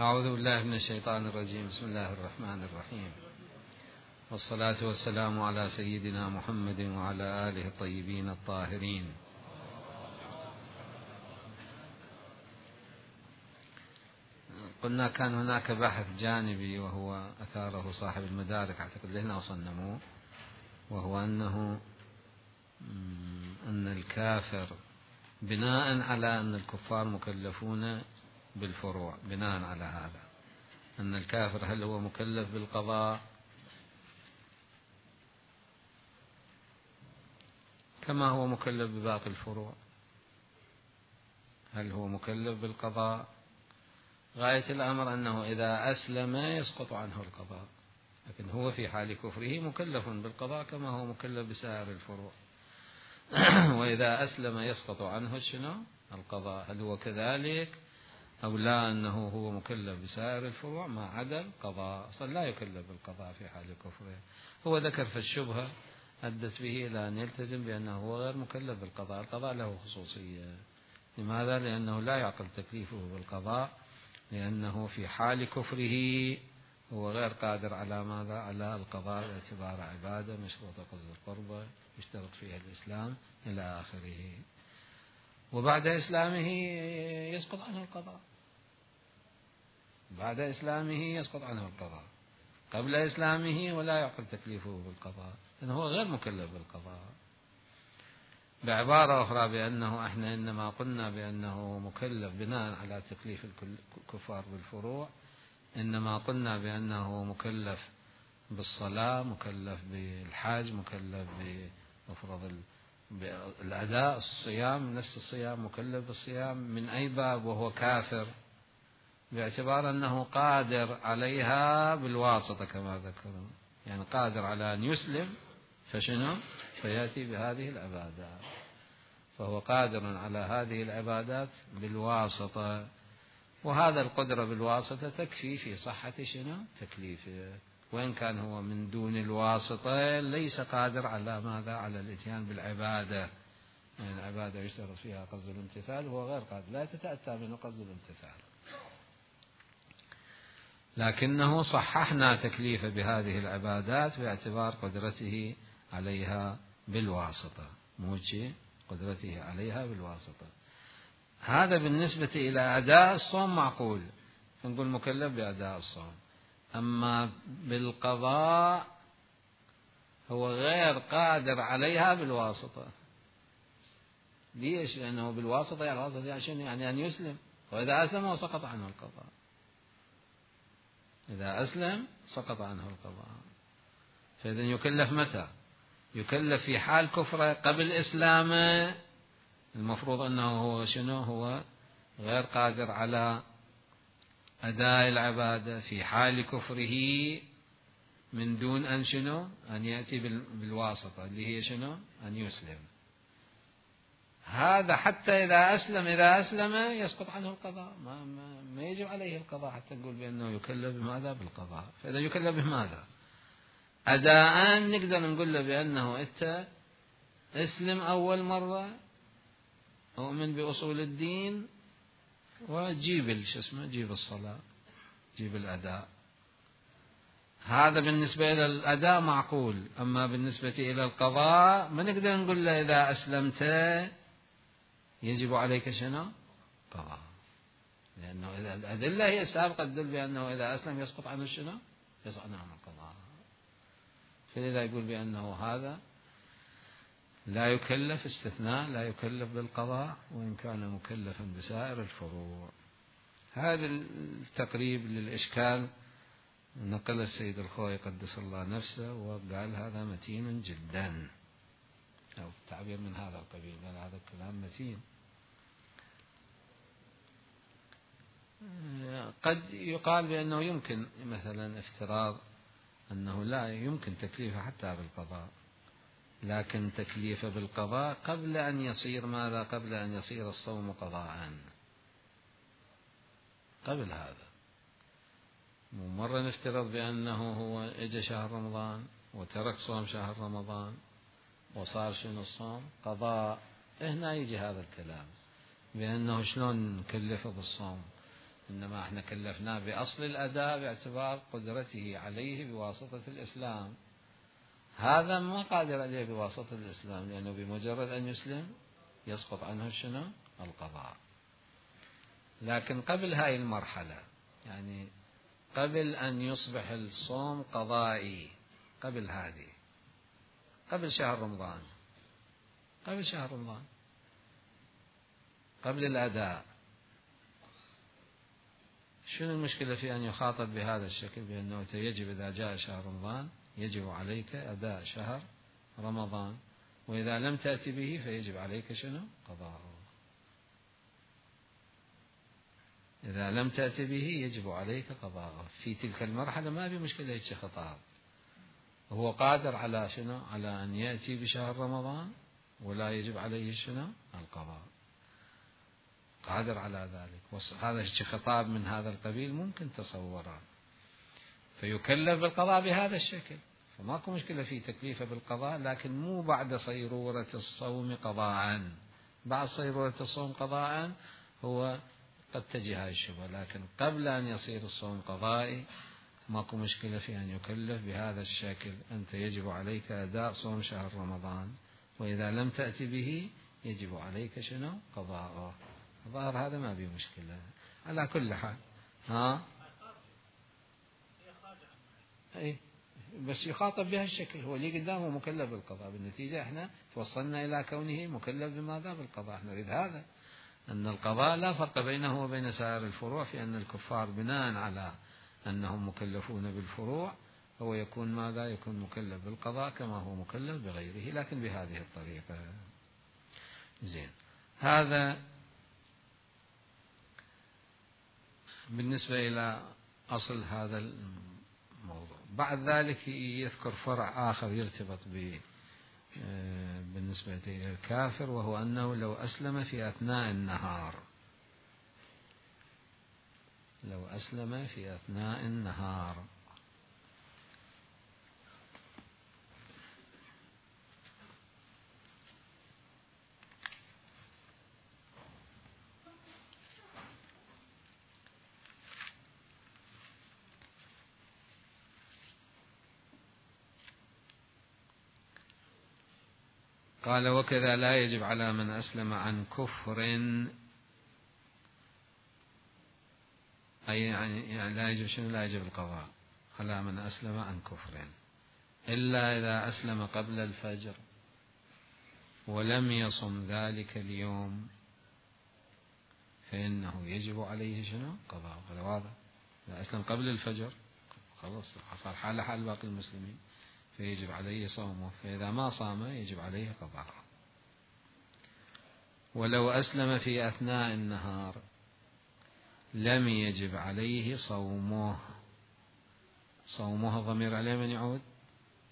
أعوذ بالله من الشيطان الرجيم. بسم الله الرحمن الرحيم، والصلاة والسلام على سيدنا محمد وعلى آله الطيبين الطاهرين. قلنا كان هناك بحث جانبي وهو أثاره صاحب المدارك، أعتقد لهنا وصلنا، وهو أن الكافر بناء على أن الكفار مكلفون بالفروع، بناء على هذا أن الكافر هل هو مكلف بالقضاء كما هو مكلف بباقي الفروع؟ هل هو مكلف بالقضاء؟ غاية الأمر أنه إذا أسلم يسقط عنه القضاء، لكن هو في حال كفره مكلف بالقضاء كما هو مكلف بسائر الفروع. وإذا أسلم يسقط عنه شنو؟ القضاء. هل هو كذلك أو لا؟ أنه هو مكلف بسائر الفروع ما عدا القضاء، أصلا لا يكلف بالقضاء في حال كفره. هو ذكر في الشبهة أدت به إلى أن يلتزم بأنه هو غير مكلف بالقضاء. القضاء له خصوصية. لماذا؟ لأنه لا يعقل تكليفه بالقضاء، لأنه في حال كفره هو غير قادر على ماذا؟ على القضاء باعتبار عبادة مشروطة قصد القربة يشترط فيها الإسلام إلى آخره. وبعد إسلامه يسقط عنه القضاء، بعد إسلامه يسقط عنه القضاء، قبل إسلامه ولا يعقل تكليفه بالقضاء لأنه هو غير مكلف بالقضاء. بعبارة أخرى بأنه إحنا إنما قلنا بأنه مكلف بناء على تكليف الكفار بالفروع، إنما قلنا بأنه مكلف بالصلاة، مكلف بالحج، مكلف بمفرض بالأداء، الصيام نفس الصيام مكلف بالصيام. من أي باب وهو كافر؟ باعتبار أنه قادر عليها بالواسطة كما ذكروا، يعني قادر على أن يسلم فشنو؟ فيأتي بهذه العبادات، فهو قادر على هذه العبادات بالواسطة، وهذا القدرة بالواسطة تكفي في صحة شنو؟ تكليفه. وإن كان هو من دون الواسطة ليس قادر على ماذا؟ على الإتيان بالعبادة، يعني العبادة يشترط فيها قصد الامتثال وهو غير قادر، لا تتأتى منه قصد الامتثال. لكنه صححنا تكليفه بهذه العبادات باعتبار قدرته عليها بالواسطة، موجه قدرته عليها بالواسطة. هذا بالنسبة إلى أداء الصوم معقول، نقول مكلف بأداء الصوم. أما بالقضاء هو غير قادر عليها بالواسطة. ليش؟ لأنه بالواسطة يعني الواسطة عشان يعني أن يسلم، وإذا أسلم هو سقط عنه القضاء. إذا أسلم سقط عنه القضاء. فإذا يكلف متى؟ يكلف في حال كفره قبل إسلامه، المفروض أنه هو شنو؟ هو غير قادر على أداء العبادة في حال كفره من دون أن شنو؟ أن يأتي بالواسطة اللي هي شنو؟ أن يسلم. هذا حتى إذا أسلم يسقط عنه القضاء، ما يجب عليه القضاء حتى نقول بأنه يكلف بماذا؟ بالقضاء. فإذا يكلف بماذا؟ أداء نقدر نقول له بأنه أنت اسلم أول مرة، أؤمن بأصول الدين، وجيب جيب الصلاة، جيب الأداء. هذا بالنسبة إلى الأداء معقول. أما بالنسبة إلى القضاء ما نقدر نقول له إذا أسلمت يجب عليك شنو؟ قضاء، لأنه إذا الأدلة هي السابقة تدل بأنه إذا أسلم يسقط عنه شنو؟ يسقط عنه القضاء. فلذا يقول بأنه هذا لا يكلف، استثناء لا يكلف بالقضاء وإن كان مكلفا بسائر الفروع. هذا التقريب للإشكال نقل السيد الخوئي قدس الله نفسه وقال هذا متين جدا، أو تعبير من هذا القبيل، قال هذا الكلام متين. قد يقال بأنه يمكن مثلا افتراض أنه لا يمكن تكليفه حتى بالقضاء، لكن تكليفه بالقضاء قبل أن يصير ماذا؟ قبل أن يصير الصوم قضاء، قبل هذا. مرة نفترض بأنه هو إجا شهر رمضان وترك صوم شهر رمضان وصار شنو الصوم؟ قضاء. هنا يجي هذا الكلام بأنه شلون نكلفه بالصوم؟ إنما احنا كلفناه بأصل الأداء باعتبار قدرته عليه بواسطة الإسلام. هذا ما قادر عليه بواسطة الإسلام، لأنه بمجرد أن يسلم يسقط عنه شنو؟ القضاء. لكن قبل هاي المرحلة، يعني قبل أن يصبح الصوم قضائي، قبل هذه، قبل شهر رمضان، قبل شهر رمضان، قبل الأداء، شنو المشكلة في أن يخاطب بهذا الشكل، بأنه يجب إذا جاء شهر رمضان يجب عليك أداء شهر رمضان، وإذا لم تأتي به فيجب عليك شنو؟ قضاءه. إذا لم تأتي به يجب عليك قضاءه. في تلك المرحلة ما في مشكلة هيك خطاب، هو قادر على شنو؟ على أن يأتي بشهر رمضان ولا يجب عليه شنو؟ القضاء، قادر على ذلك. هذا خطاب من هذا القبيل ممكن تصوره، فيكلف بالقضاء بهذا الشكل، فماكو مشكلة في تكليفه بالقضاء، لكن مو بعد صيرورة الصوم قضاء. بعد صيرورة الصوم قضاء هو قد تجي هاي الشبهة، لكن قبل أن يصير الصوم قضائي ماكو مشكلة في أن يكلف بهذا الشكل. أنت يجب عليك أداء صوم شهر رمضان، وإذا لم تأتي به يجب عليك شنو؟ قضاءه. ظاهر هذا ما به مشكلة. على كل حال بس يخاطب بهالشكل، هو اللي قدامه مكلف بالقضاء. بالنتيجة احنا توصلنا إلى كونه مكلف بماذا؟ بالقضاء. احنا نريد هذا، أن القضاء لا فرق بينه وبين سائر الفروع، في أن الكفار بناء على أنهم مكلفون بالفروع هو يكون ماذا؟ يكون مكلف بالقضاء كما هو مكلف بغيره، لكن بهذه الطريقة. زين، هذا بالنسبة إلى أصل هذا الموضوع. بعد ذلك يذكر فرع آخر يرتبط بالنسبة إلى الكافر، وهو أنه لو أسلم في أثناء النهار، لو أسلم في أثناء النهار. قال: وكذا لا يجب على من أسلم عن كفر، أي يعني لا يجب شنو؟ لا يجب القضاء على من أسلم عن كفر، إلا إذا أسلم قبل الفجر ولم يصم ذلك اليوم فإنه يجب عليه شنو؟ قضاء. هذا واضح. إذا أسلم قبل الفجر خلاص صار حال حال باقي المسلمين، فيجب عليه صومه، فإذا ما صام يجب عليه قضاء. ولو أسلم في أثناء النهار لم يجب عليه صومه. صومه ضمير عليه من يعود؟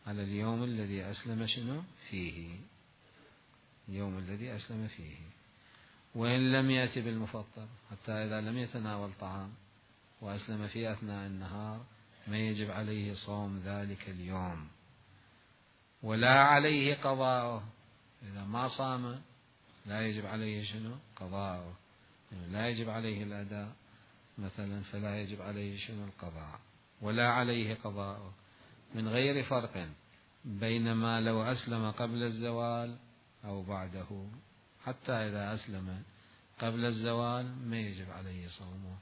على اليوم الذي أسلم شنو؟ فيه، اليوم الذي أسلم فيه. وإن لم يأتي بالمفطر، حتى إذا لم يتناول طعام وأسلم في أثناء النهار ما يجب عليه صوم ذلك اليوم، ولا عليه قضاءه. إذا ما صام لا يجب عليه شنو؟ قضاءه. لا يجب عليه الأداء مثلا، فلا يجب عليه شنو؟ القضاء، ولا عليه قضاءه، من غير فرق بينما لو أسلم قبل الزوال أو بعده. حتى إذا أسلم قبل الزوال ما يجب عليه صومه،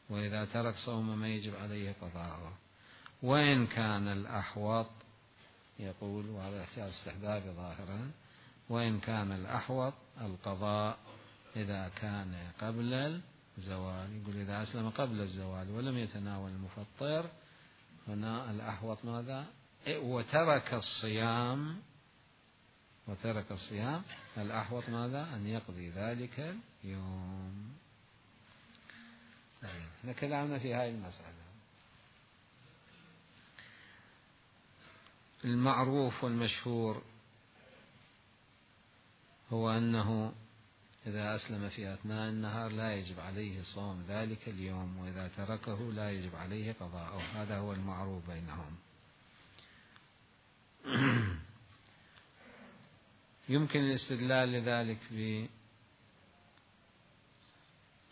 وإذا ترك صومه ما يجب عليه قضاءه. وإن كان الأحوط، يقول، وهذا احتياج استحبابي ظاهرا، وإن كان الأحوط القضاء إذا كان قبل الزوال. يقول إذا أسلم قبل الزوال ولم يتناول المفطر، هنا الأحوط ماذا؟ وترك الصيام، وترك الصيام، الأحوط ماذا؟ أن يقضي ذلك اليوم. احنا كلامنا في هذه المسألة. المعروف والمشهور هو أنه إذا أسلم في أثناء النهار لا يجب عليه صوم ذلك اليوم، وإذا تركه لا يجب عليه قضاءه. هذا هو المعروف بينهم. يمكن الاستدلال لذلك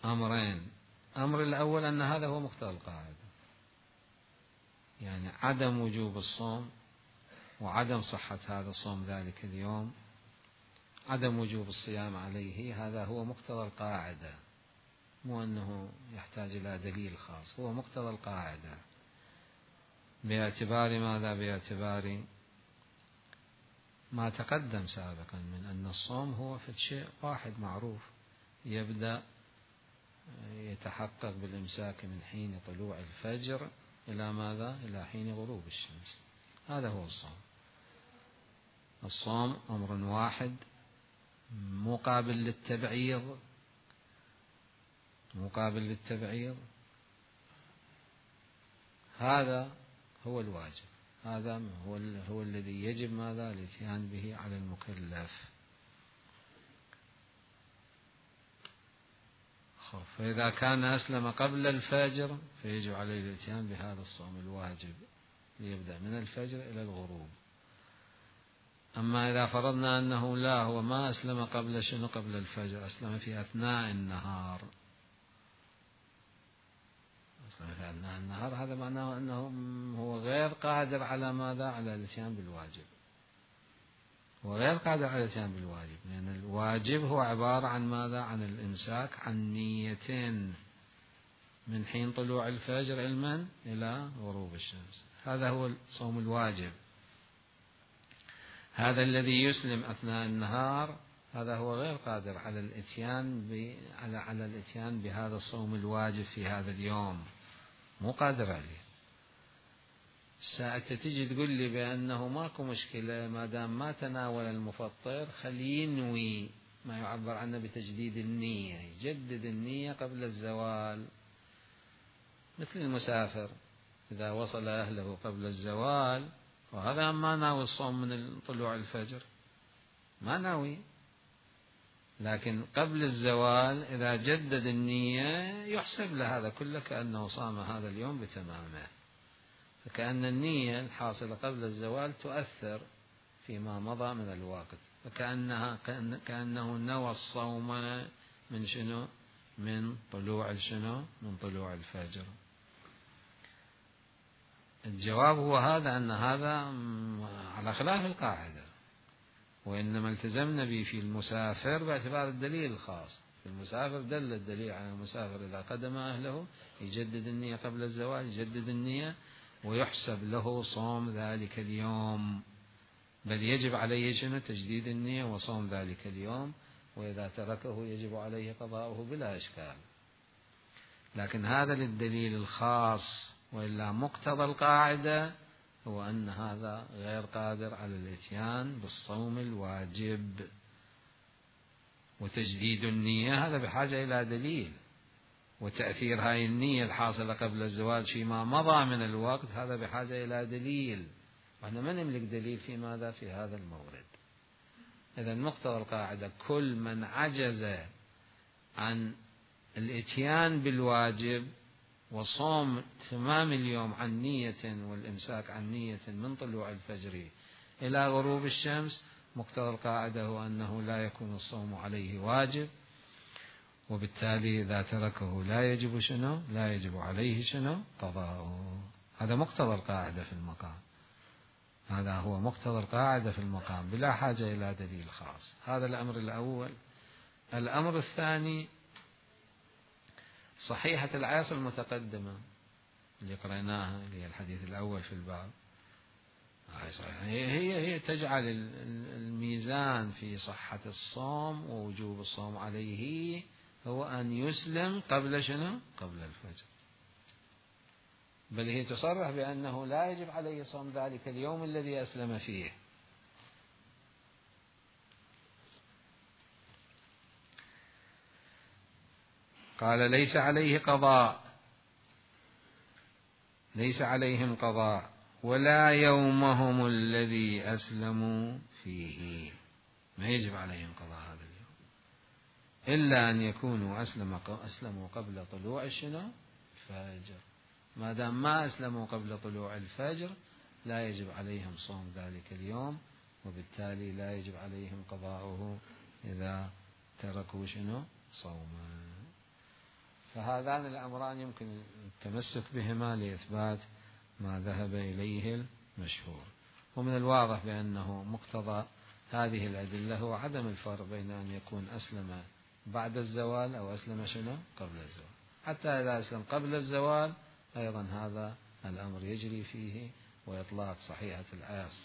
بأمرين. الأمر الأول أن هذا هو مقتضى القاعدة، يعني عدم وجوب الصوم وعدم صحة هذا الصوم ذلك اليوم، عدم وجوب الصيام عليه، هذا هو مقتضى القاعدة، مو أنه يحتاج إلى دليل خاص، هو مقتضى القاعدة. باعتبار ماذا؟ باعتبار ما تقدم سابقا من أن الصوم هو في شيء واحد معروف، يبدأ يتحقق بالإمساك من حين طلوع الفجر إلى ماذا؟ إلى حين غروب الشمس، هذا هو الصوم. الصوم أمر واحد مقابل للتبعيض، مقابل للتبعيض، هذا هو الواجب، هذا هو الذي يجب ماذا؟ الاتيان به على المكلف. فإذا كان أسلم قبل الفجر فيجب عليه الاتيان بهذا الصوم الواجب ليبدأ من الفجر إلى الغروب. أما إذا فرضنا أنه لا، هو ما أسلم قبل شنو؟ قبل الفجر، أسلم في أثناء النهار، أسلم في أثناء النهار، هذا معناه أنه هو غير قادر على ماذا؟ على الاتيان بالواجب، هو غير قادر على الاتيان بالواجب، لأن الواجب هو عبارة عن ماذا؟ عن الإمساك عن نيتين من حين طلوع الفجر إلى غروب الشمس، هذا هو الصوم الواجب. هذا الذي يسلم أثناء النهار هذا هو غير قادر على الاتيان بهذا الصوم الواجب في هذا اليوم، مو قادر عليه. ساعة تجي تقول لي بأنه ماكو مشكلة ما دام ما تناول المفطر، خليه ينوي ما يعبر عنه بتجديد النية، يجدد النية قبل الزوال، مثل المسافر إذا وصل أهله قبل الزوال، وهذا ما ناوي الصوم من طلوع الفجر، ما ناوي، لكن قبل الزوال إذا جدد النية يحسب له هذا كله كأنه صام هذا اليوم بتمامه، فكأن النية الحاصلة قبل الزوال تؤثر فيما مضى من الوقت، كأنه نوى الصوم من شنو؟ من طلوع شنو؟ من طلوع الفجر. الجواب هو هذا، أن هذا على خلاف القاعدة، وإنما التزمنا به في المسافر باعتبار الدليل الخاص. في المسافر دل الدليل على المسافر إذا قدم أهله يجدد النية قبل الزوال، يجدد النية ويحسب له صوم ذلك اليوم، بل يجب عليه شنو؟ تجديد النية وصوم ذلك اليوم، وإذا تركه يجب عليه قضاؤه بلا إشكال. لكن هذا للدليل الخاص، وإلا مقتضى القاعدة هو أن هذا غير قادر على الاتيان بالصوم الواجب، وتجديد النية هذا بحاجة إلى دليل، وتأثير هاي النية الحاصلة قبل الزواج فيما مضى من الوقت هذا بحاجة إلى دليل، وإحنا ما نملك دليل في ماذا؟ في هذا المورد. إذا مقتضى القاعدة كل من عجز عن الاتيان بالواجب وصوم تمام اليوم عن نية والإمساك عن نية من طلوع الفجر إلى غروب الشمس، مقتضى القاعدة هو أنه لا يكون الصوم عليه واجب، وبالتالي إذا تركه لا يجب شنو؟ لا يجب عليه شنو؟ قضاؤه. هذا مقتضى القاعدة في المقام، هذا هو مقتضى القاعدة في المقام بلا حاجة إلى دليل خاص. هذا الأمر الأول. الأمر الثاني، صحيحة العاصر المتقدمة اللي قرأناها، اللي هي الحديث الأول في الباب، هي تجعل الميزان في صحة الصوم ووجوب الصوم عليه هو أن يسلم قبل شنو؟ قبل الفجر، بل هي تصرح بأنه لا يجب عليه صوم ذلك اليوم الذي أسلم فيه. قال ليس عليه قضاء، ليس عليهم قضاء ولا يومهم الذي أسلموا فيه، ما يجب عليهم قضاء هذا اليوم إلا أن يكونوا أسلموا قبل طلوع الفجر. ما دام ما أسلموا قبل طلوع الفجر لا يجب عليهم صوم ذلك اليوم، وبالتالي لا يجب عليهم قضاؤه إذا تركوا صوما. فهذان الأمران يمكن التمسك بهما لإثبات ما ذهب إليه المشهور. ومن الواضح بأنه مقتضى هذه الأدلة هو عدم الفرق بين أن يكون أسلم بعد الزوال أو أسلم شنو قبل الزوال. حتى إذا أسلم قبل الزوال أيضا هذا الأمر يجري فيه، وإطلاق صحيحة العاص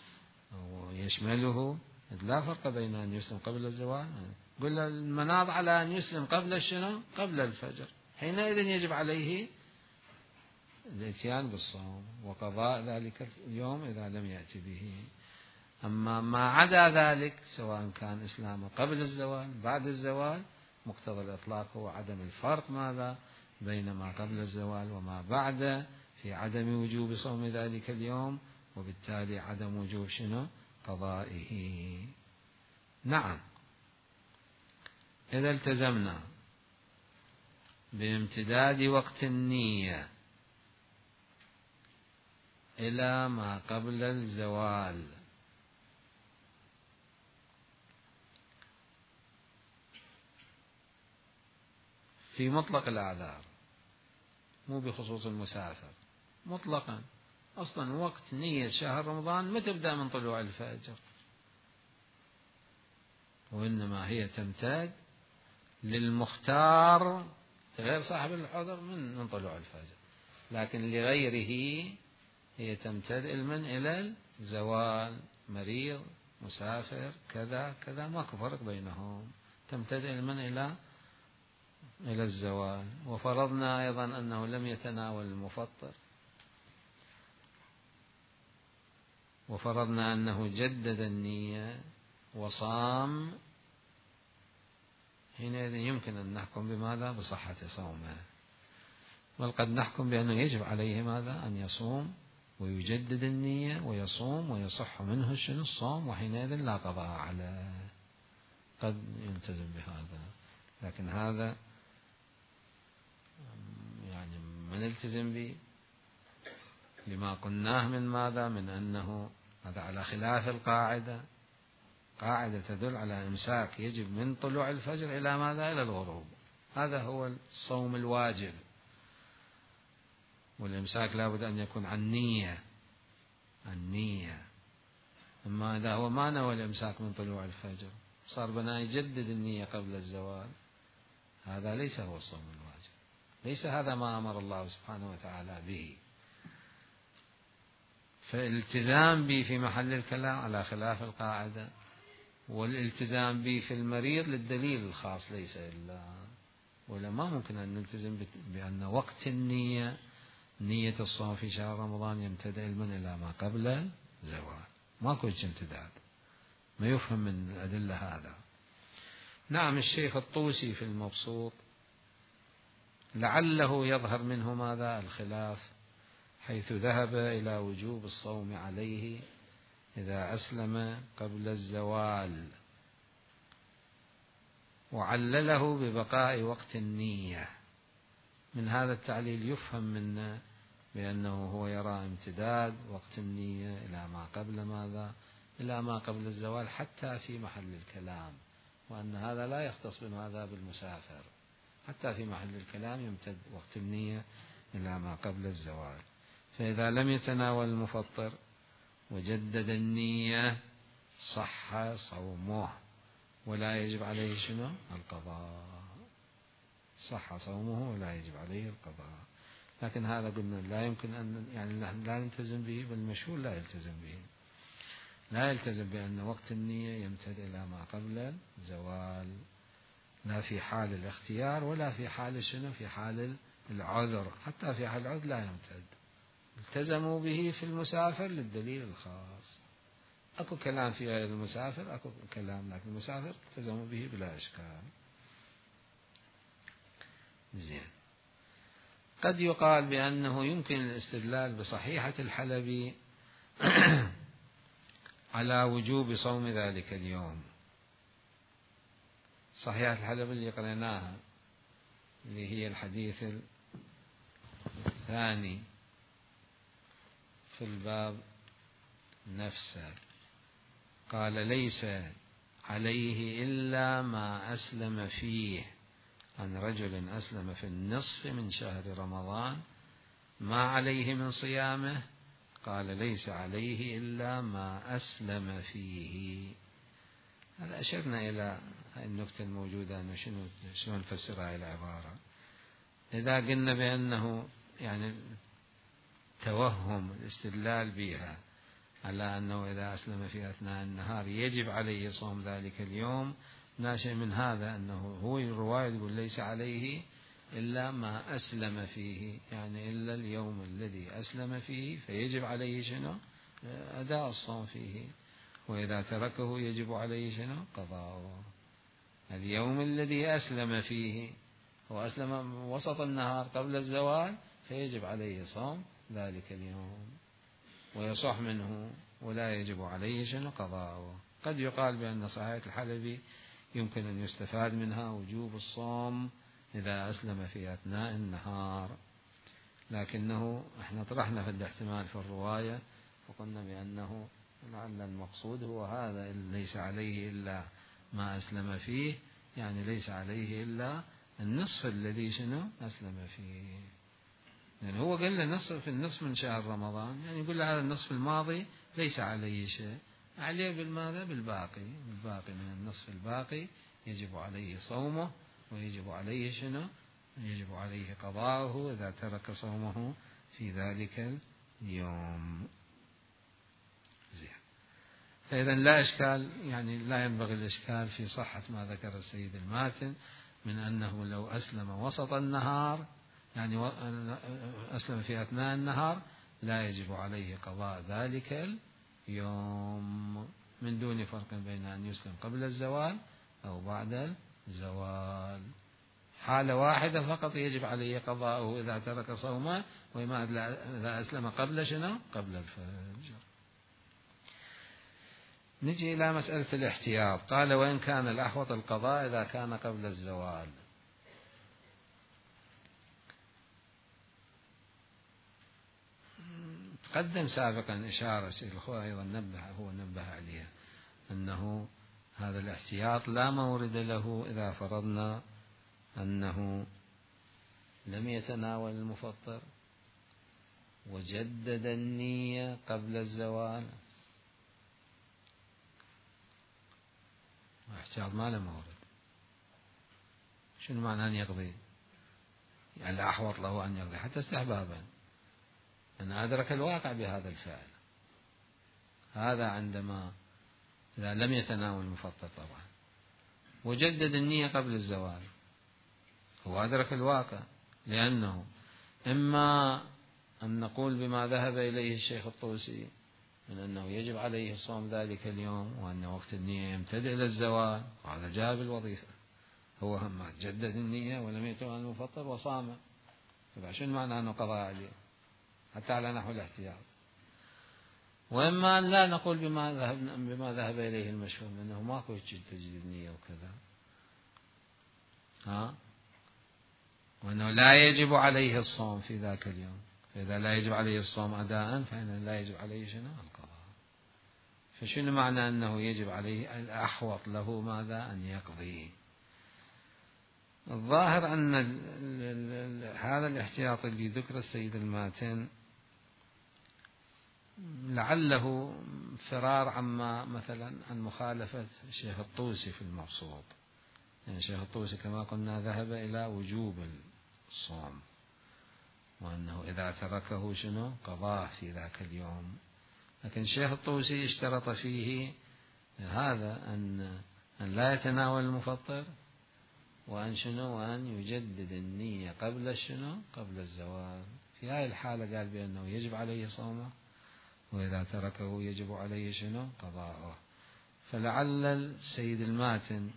ويشمله، لا فرق بين أن يسلم قبل الزوال. قل المناط على أن يسلم قبل شنو قبل الفجر، حينئذ يجب عليه الاتيان بالصوم وقضاء ذلك اليوم إذا لم يأتي به. أما ما عدا ذلك سواء كان إسلامه قبل الزوال بعد الزوال، مقتضى الإطلاق هو عدم الفرق ماذا بين ما قبل الزوال وما بعد في عدم وجوب صوم ذلك اليوم، وبالتالي عدم وجوب شنو قضائه. نعم، إذا التزمنا بامتداد وقت النية إلى ما قبل الزوال في مطلق الأعذار، مو بخصوص المسافر، مطلقا أصلا وقت نية شهر رمضان ما تبدأ من طلوع الفجر، وإنما هي تمتد للمختار غير صاحب العذر من طلوع الفجر، لكن لغيره هي تمتد من إلى الزوال، مريض مسافر كذا كذا ماكو فرق بينهم، تمتد من إلى الزوال. وفرضنا أيضا أنه لم يتناول المفطر، وفرضنا أنه جدد النية وصام، حينئذ يمكن أن نحكم بماذا بصحة صومه، بل قد نحكم بأنه يجب عليه ماذا أن يصوم ويجدد النية ويصوم ويصح منه شنو الصوم، وحينئذ لا قضاء عليه، قد يلتزم بهذا. لكن هذا يعني ما نلتزم به لما قلناه من ماذا، من أنه هذا على خلاف القاعدة، قاعدة تدل على إمساك يجب من طلوع الفجر إلى ماذا إلى الغروب، هذا هو الصوم الواجب، والإمساك لابد أن يكون عن النية. أما إذا هو ما نوى الإمساك من طلوع الفجر صار بنا يجدد النية قبل الزوال، هذا ليس هو الصوم الواجب، ليس هذا ما أمر الله سبحانه وتعالى به. فالالتزام به في محل الكلام على خلاف القاعدة، والالتزام به في المريض للدليل الخاص ليس إلا، ولا ما ممكن أن نلتزم بأن وقت النية، نية الصوم في شهر رمضان يمتد علما إلى ما قبل الزوال، ماكو امتداد، ما يفهم من الأدلة هذا. نعم، الشيخ الطوسي في المبسوط لعله يظهر منه ماذا الخلاف، حيث ذهب إلى وجوب الصوم عليه إذا أسلم قبل الزوال، وعلله ببقاء وقت النية. من هذا التعليل يفهم منا بأنه هو يرى امتداد وقت النية إلى ما قبل ماذا إلى ما قبل الزوال حتى في محل الكلام، وأن هذا لا يختص بماذا بالمسافر، حتى في محل الكلام يمتد وقت النية إلى ما قبل الزوال. فإذا لم يتناول المفطر وجدد النية صح صومه ولا يجب عليه شنو القضاء، صح صومه ولا يجب عليه القضاء. لكن هذا قلنا لا يمكن أن يعني لا نلتزم به، بالمشهور لا يلتزم به، لا يلتزم بأن وقت النية يمتد إلى ما قبل الزوال، لا في حال الاختيار ولا في حال شنو في حال العذر، حتى في حال العذر لا يمتد. التزموا به في المسافر للدليل الخاص، أكو كلام في غير المسافر أكو كلام، لكن المسافر التزموا به بلا إشكال. زين، قد يقال بأنه يمكن الاستدلال بصحيحة الحلبي على وجوب صوم ذلك اليوم. صحيحة الحلبي اللي قرأناها اللي هي الحديث الثاني في الباب نفسه، قال ليس عليه إلا ما أسلم فيه عن رجل أسلم في النصف من شهر رمضان ما عليه من صيامه، قال ليس عليه إلا ما أسلم فيه. هذا أشرنا إلى النكتة الموجودة أنه شنو نفسر هذه العبارة. إذا قلنا بأنه يعني توهم الاستدلال بها على أنه إذا أسلم في أثناء النهار يجب عليه صوم ذلك اليوم، ناشئ من هذا أنه هو الرواية يقول ليس عليه إلا ما أسلم فيه، يعني إلا اليوم الذي أسلم فيه فيجب عليه شنو؟ أداء الصوم فيه، وإذا تركه يجب عليه شنو؟ قضاؤه. اليوم الذي أسلم فيه هو أسلم وسط النهار قبل الزوال فيجب عليه صوم ذلك اليوم ويصح منه ولا يجب عليه شنو؟ قضاؤه. قد يقال بأن صحيحة الحلبي يمكن أن يستفاد منها وجوب الصوم إذا أسلم في أثناء النهار، لكنه احنا طرحنا في الاحتمال في الرواية وقلنا بأنه لعل المقصود هو هذا، ليس عليه إلا ما أسلم فيه، يعني ليس عليه إلا النصف الذي شنو؟ أسلم فيه. يعني هو قال له في النصف من شهر رمضان، يعني يقول له هذا النصف الماضي ليس عليه شيء، عليه بالماذا؟ بالباقي من النصف الباقي يجب عليه صومه ويجب عليه شنو؟ يجب عليه قضاؤه إذا ترك صومه في ذلك اليوم. زين. فإذا لا إشكال، يعني لا ينبغي الإشكال في صحة ما ذكر السيد الماتن من أنه لو أسلم وسط النهار، يعني أسلم في أثناء النهار، لا يجب عليه قضاء ذلك اليوم من دون فرق بين أن يسلم قبل الزوال أو بعد الزوال. حالة واحدة فقط يجب عليه قضاؤه إذا ترك صومه، وما إذا أسلم قبل شنو؟ قبل الفجر. نجي إلى مسألة الاحتياط. قال وإن كان الأحوط القضاء إذا كان قبل الزوال. تقدم سابقا إشارة سيد الأخوة أيضا نبه عليها أنه هذا الاحتياط لا مورد له إذا فرضنا أنه لم يتناول المفطر وجدد النية قبل الزوال. الاحتياط ما له مورد. شنو معنى أن يقضي؟ يعني الأحوط له أن يقضي حتى استحبابا، أنا أدرك الواقع بهذا الفعل. هذا عندما إذا لم يتناول المفطر طبعا وجدد النية قبل الزوال، هو أدرك الواقع، لأنه إما أن نقول بما ذهب إليه الشيخ الطوسي من أنه يجب عليه صوم ذلك اليوم وأن وقت النية يمتد إلى الزوال، وهذا جاء بالوظيفة، هو هم جدد النية ولم يتناول المفطر وصام، شنو معنى أنه قضى عليه حتى على نحو الاحتياط. وإما أن لا نقول بما ذهب إليه المشهور أنه ماكو تجديد النية وكذا، وأنه لا يجب عليه الصوم في ذاك اليوم، فإذا لا يجب عليه الصوم أداء فإنه لا يجب عليه شنو؟ القضاء. فشنو معنى أنه يجب عليه؟ الأحوط له ماذا؟ أن يقضي. الظاهر أن هذا الاحتياط اللي ذكر السيد الماتن لعله فرار عما مثلا عن مخالفة الشيخ الطوسي في المبسوط. يعني الشيخ الطوسي كما قلنا ذهب إلى وجوب الصوم وأنه إذا تركه شنو؟ قضاه في ذاك اليوم. لكن الشيخ الطوسي اشترط فيه هذا أن لا يتناول المفطر وأن شنو؟ وأن يجدد النية قبل شنو؟ قبل الزوال. في هذه الحالة قال بأنه يجب عليه صومه وإذا تركه يجب عليه شنو؟ قضاءه. فلعل السيد الماتن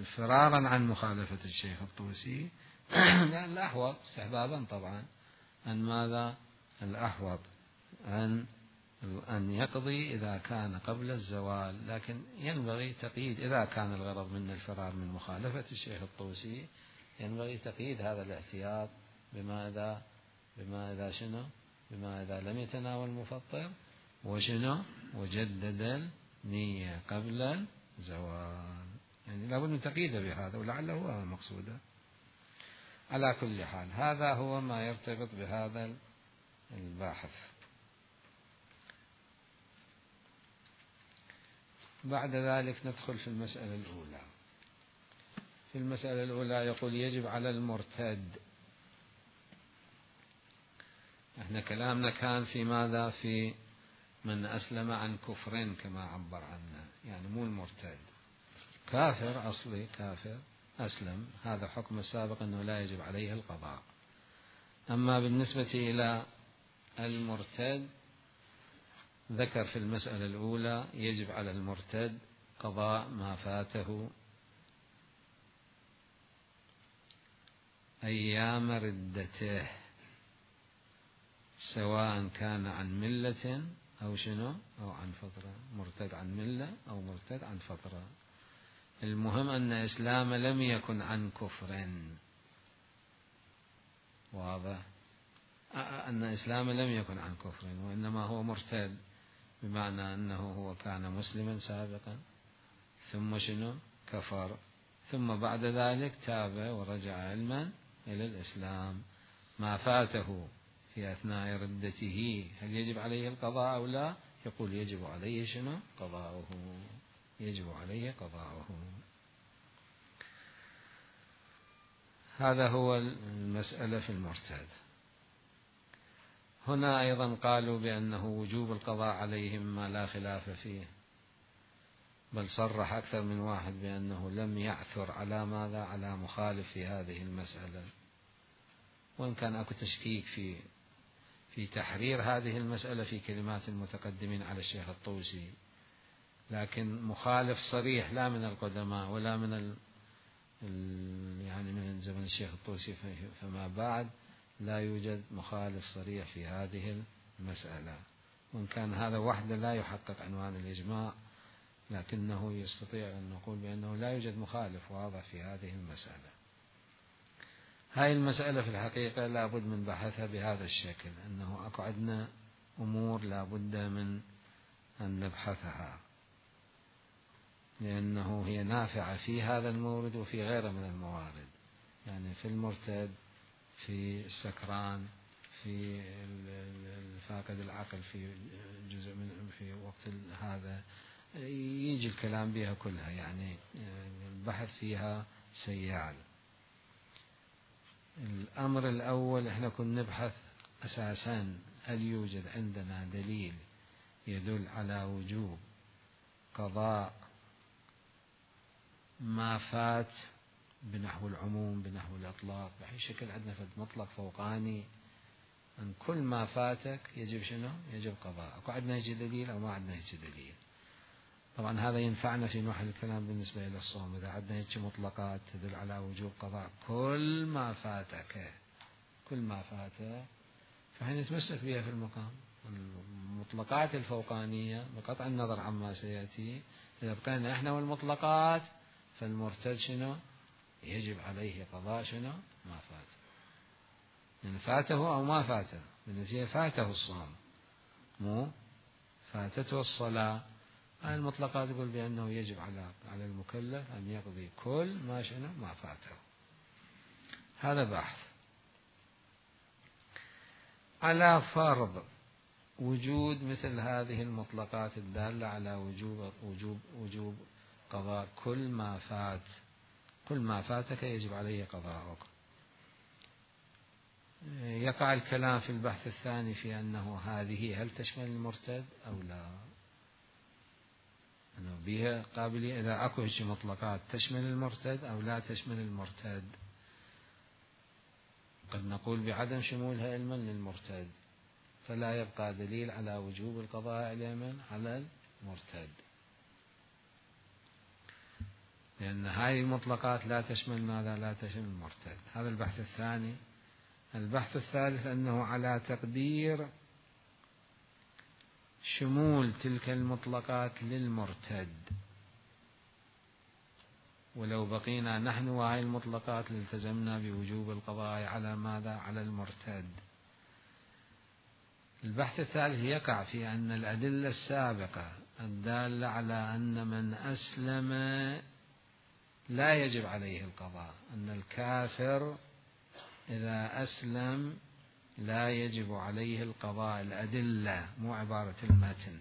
فرارا عن مخالفة الشيخ الطوسي لأن الأحوط استحبابا طبعا أن ماذا؟ الأحوط أن يقضي إذا كان قبل الزوال، لكن ينبغي تقييد إذا كان الغرض من الفرار من مخالفة الشيخ الطوسي، ينبغي تقييد هذا الاحتياط بما إذا شنو؟ بما إذا لم يتناول المفطر وشنو؟ وجدد النية قبل الزوال. يعني لابد من تقييده بهذا، ولعله هو مقصوده. على كل حال هذا هو ما يرتبط بهذا الباحث. بعد ذلك ندخل في المسألة الأولى. في المسألة الأولى يقول يجب على المرتد. احنا كلامنا كان في ماذا؟ في من أسلم عن كفر كما عبر عنه، يعني مو المرتد، كافر أصلي، كافر أسلم، هذا حكم السابق أنه لا يجب عليه القضاء. أما بالنسبة إلى المرتد ذكر في المسألة الأولى يجب على المرتد قضاء ما فاته أيام ردته، سواء كان عن ملة أو شنو أو عن فترة، مرتد عن ملة أو مرتد عن فترة. المهم أن إسلام لم يكن عن كفر، واضح؟ أن إسلام لم يكن عن كفر، وإنما هو مرتد، بمعنى أنه هو كان مسلما سابقا ثم شنو كفر، ثم بعد ذلك تاب ورجع علما إلى الإسلام. ما فاته في أثناء ردته هل يجب عليه القضاء أو لا؟ يقول يجب عليه شنو قضاؤه، يجب عليه قضاؤه. هذا هو المسألة في المرتد. هنا أيضا قالوا بأنه وجوب القضاء عليهم ما لا خلاف فيه، بل صرح أكثر من واحد بأنه لم يعثر على ماذا؟ على مخالف في هذه المسألة، وإن كان أكو تشكيك في تحرير هذه المسألة في كلمات المتقدمين على الشيخ الطوسي، لكن مخالف صريح لا من القدماء ولا من يعني من زمن الشيخ الطوسي فما بعد لا يوجد مخالف صريح في هذه المسألة، وإن كان هذا وحده لا يحقق عنوان الإجماع، لكنه يستطيع أن نقول بأنه لا يوجد مخالف واضح في هذه المسألة. هاي المسألة في الحقيقة لا بد من بحثها بهذا الشكل، أنه أكو عندنا أمور لا بد من أن نبحثها، لأنه هي نافعة في هذا المورد وفي غيره من الموارد، يعني في المرتد، في السكران، في الفاقد العقل، في جزء من في وقت هذا يجي الكلام بها كلها، يعني البحث فيها سيال. الأمر الأول احنا كنا نبحث أساسا هل يوجد عندنا دليل يدل على وجوب قضاء ما فات بنحو العموم بنحو الإطلاق، بأي شكل عندنا فد مطلق فوقاني أن كل ما فاتك يجب شنو؟ يجب قضاء. أكو عندنا يجي دليل أو ما عندنا يجي دليل؟ طبعا هذا ينفعنا في محل الكلام بالنسبة إلى الصوم، إذا عندنا هيك مطلقات تدل على وجوب قضاء كل ما فاتك، كل ما فاتك، فحين نتمسك بها في المقام. المطلقات الفوقانية بقطع النظر عما سيأتي، إذا بقينا إحنا والمطلقات فالمرتد شنو؟ يجب عليه قضاء شنو؟ ما فات، إن فاته أو ما فاته، بالنتيجة فاته الصوم مو فاتته الصلاة. هاي المطلقات تقول بأنه يجب على المكلف أن يقضي كل ما شنو ما فاته. هذا بحث على فرض وجود مثل هذه المطلقات الدالة على وجوب قضاء كل ما فات، كل ما فاتك يجب عليه قضاءك. يقع الكلام في البحث الثاني في أنه هذه هل تشمل المرتد أو لا، أنه بها قابلية إذا أكو هيك مطلقات تشمل المرتد أو لا تشمل المرتد. قد نقول بعدم شمولها علما للمرتد، فلا يبقى دليل على وجوب القضاء على المرتد، لأن هذه المطلقات لا تشمل ماذا؟ لا تشمل المرتد. هذا البحث الثاني. البحث الثالث أنه على تقدير شمول تلك المطلقات للمرتد، ولو بقينا نحن وهذه المطلقات لالتزمنا بوجوب القضاء على ماذا؟ على المرتد. البحث الثالث يقع في أن الأدلة السابقة الدالة على أن من أسلم لا يجب عليه القضاء، أن الكافر إذا أسلم لا يجب عليه القضاء. الأدلة مو عبارة المتن،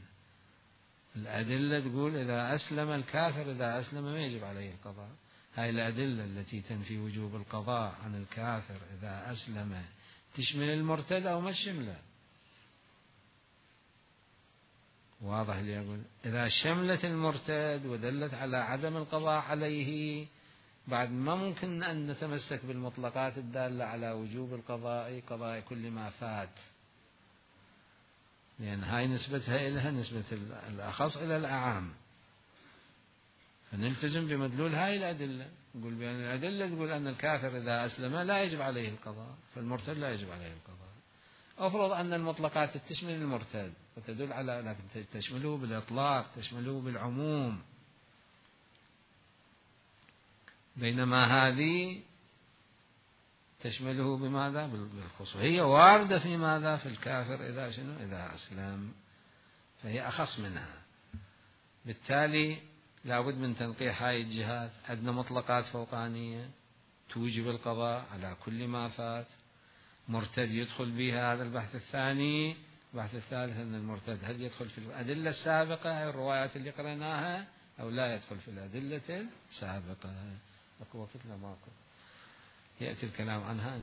الأدلة تقول إذا أسلم الكافر، إذا أسلم ما يجب عليه القضاء. هاي الأدلة التي تنفي وجوب القضاء عن الكافر إذا أسلم تشمل المرتد أو ما تشمله؟ واضح اللي أقول؟ إذا شملت المرتد ودلت على عدم القضاء عليه، بعد ما ممكن أن نتمسك بالمطلقات الدالة على وجوب القضاء، قضاء كل ما فات، لأن هاي نسبتها إلها نسبة الأخص إلى الأعام، فنلتزم بمدلول هاي الأدلة. نقول بأن الأدلة تقول أن الكافر إذا أسلم لا يجب عليه القضاء، فالمرتد لا يجب عليه القضاء. أفرض أن المطلقات تشمل المرتد وتدل على أنك تشمله بالإطلاق، تشمله بالعموم، بينما هذه تشمله بماذا؟ بالخصوص. هي واردة في ماذا؟ في الكافر إذا شنو؟ إذا أسلم، فهي أخص منها. بالتالي لابد من تنقيح هاي الجهات. عندنا مطلقات فوقانية توجب القضاء على كل ما فات، مرتد يدخل بها. هذا البحث الثاني. البحث الثالث أن المرتد هل يدخل في الأدلة السابقة، هاي الروايات اللي قرأناها، أو لا يدخل في الأدلة السابقة. أكو وقت لا ماكو، يأتي الكلام عنها.